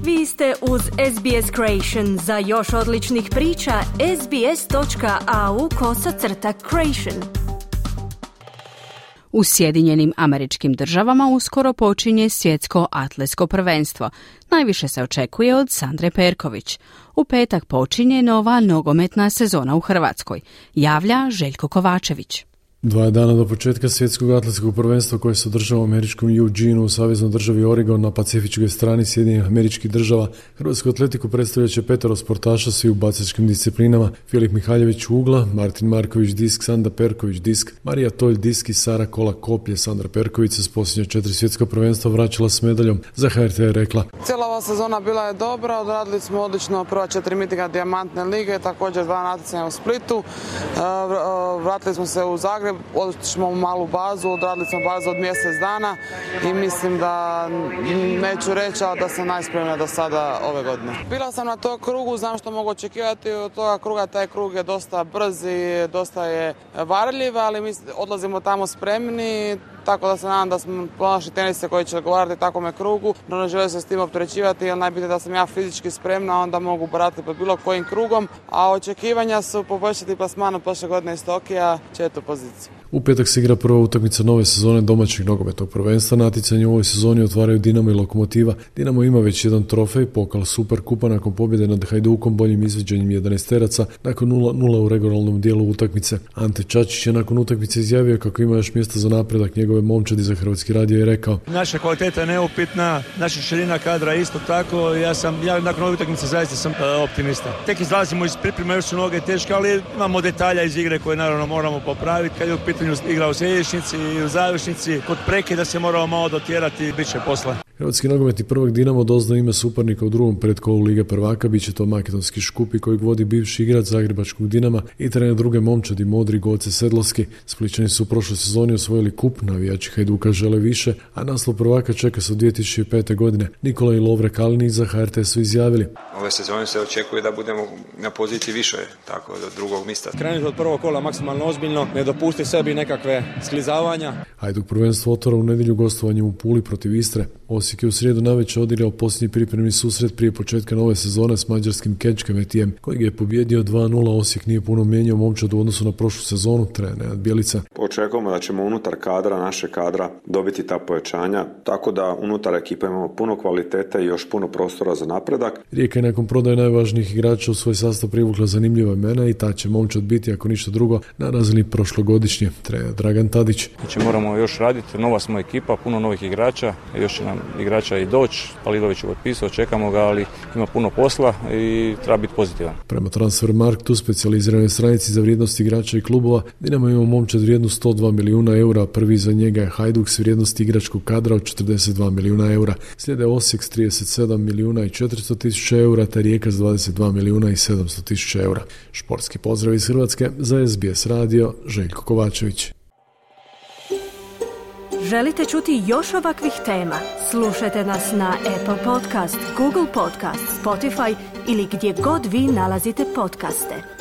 Vi ste uz SBS Creation. Za još odličnih priča, sbs.au/creation. U Sjedinjenim Američkim Državama uskoro počinje svjetsko atletsko prvenstvo. Najviše se očekuje od Sandre Perković. U petak počinje nova nogometna sezona u Hrvatskoj. Javlja Željko Kovačević. 2 dana do početka svjetskog atletskog prvenstva koje se održava u američkom Eugeneu u saveznoj državi Oregon na pacifičkoj strani Sjedinjenih Američkih Država, hrvatsku atletiku predstavljat će 5 sportaša svi u bacačkim disciplinama: Filip Mihaljević ugla, Martin Marković disk, Sandra Perković disk, Marija Tolj disk i Sara Kola koplje. Sandra Perković se s posljednja 4 svjetska prvenstva vraćala s medaljom. Za HRT je rekla: Cijela ova sezona bila je dobra, odradili smo odlično prva 4 mitinga Dijamantne lige, također 2 natjecanja u Splitu, vratili smo se u Zagreb, odličili smo u malu bazu, odradili smo bazu od mjesec dana i mislim da neću reći, ali da sam najspremnija do sada ove godine. Bila sam na tom krugu, znam što mogu očekivati od toga kruga, taj krug je dosta brz i dosta je varljiv, ali mi odlazimo tamo spremni, tako da se nadam da smo naši tenise koji će odgovarati takvome krugu, no ne želim se s tim opterećivati, jer najbitnije da sam ja fizički spremna, onda mogu baratiti pod bilo kojim krugom, a očekivanja su poboljšati plasman od prošle godine iz Tokija, 4. poziciju. U petak se igra prva utakmica nove sezone domaćeg nogometnog prvenstva. Natjecanje u ovoj sezoni otvaraju Dinamo i Lokomotiva. Dinamo ima već jedan trofej, pokal Superkupa, nakon pobjede nad Hajdukom boljim izvođenjem 11-teraca nakon 0-0 u regionalnom dijelu utakmice. Ante Čačić je nakon utakmice izjavio kako ima još mjesta za napredak njegove momčadi. Za Hrvatski radio je rekao: Naša kvaliteta je neupitna, naša širina kadra isto tako. Ja nakon ove utakmice zaista sam optimista. Tek izlazimo iz pripreme, još su noge teške, ali imamo detalja iz igre koje naravno moramo popraviti. Kad je u pitanju igra u središnjici i u završnici, kod prekida se moramo malo dotjerati, bit će posla. Hrvatski nogometni prvak Dinamo doznao ime suparnika u drugom predkolu Lige prvaka, bit će to makedonski Škupi kojeg vodi bivši igrač zagrebačkog Dinama i trener druge momčadi Modri Goce Sedlovski. Splićani su u prošloj sezoni osvojili kup, navijači Hajduka žele više, a naslov prvaka čeka se od 2005. godine. Nikola i Lovre Kalinić za HRT su izjavili: Ove sezone se očekuje da budemo na poziciji više, tako do drugog mjesta. Krenuti od prvog kola maksimalno ozbiljno, ne dopusti sebi nekakve sklizavanja. Hajduk prvenstvo otvara u nedjelju gostovanjem u Puli protiv Istre. Osijek je u srijedu navečer odigrao posljednji pripremni susret prije početka nove sezone s mađarskim Kečkemetijem, kojeg je pobjedio 2-0. Osijek nije puno mijenjao momčad u odnosu na prošlu sezonu, trener Nenad Bjelica. Očekujemo da ćemo unutar kadra, naše kadra, dobiti ta pojačanja, tako da unutar ekipe imamo puno kvalitete i još puno prostora za napredak. Rijeka je nakon prodaje najvažnijih igrača u svoj sastav privukla zanimljiva imena i ta će momčad biti, ako ništa drugo, na razini prošlogodišnje, trener Dragan Tadić. Znači moramo još raditi, nova smo ekipa, puno novih igrača, još će nam igrača i doći, Palidović je potpisao, čekamo ga, ali ima puno posla i treba biti pozitivan. Prema Transfermarktu, specijaliziranoj stranici za vrijednost igrača i klubova, Dinamo ima momčad vrijednu 102 milijuna eura, prvi za njega je Hajduk s vrijednosti igračkog kadra od 42 milijuna eura. Slijede Osijek s 37 milijuna i 400 tisuća eura, te Rijeka s 22 milijuna i 700 tisuća eura. Športski pozdrav iz Hrvatske, za SBS radio, Željko Kovačević. Želite čuti još ovakvih tema? Slušajte nas na Apple Podcast, Google Podcast, Spotify ili gdje god vi nalazite podcaste.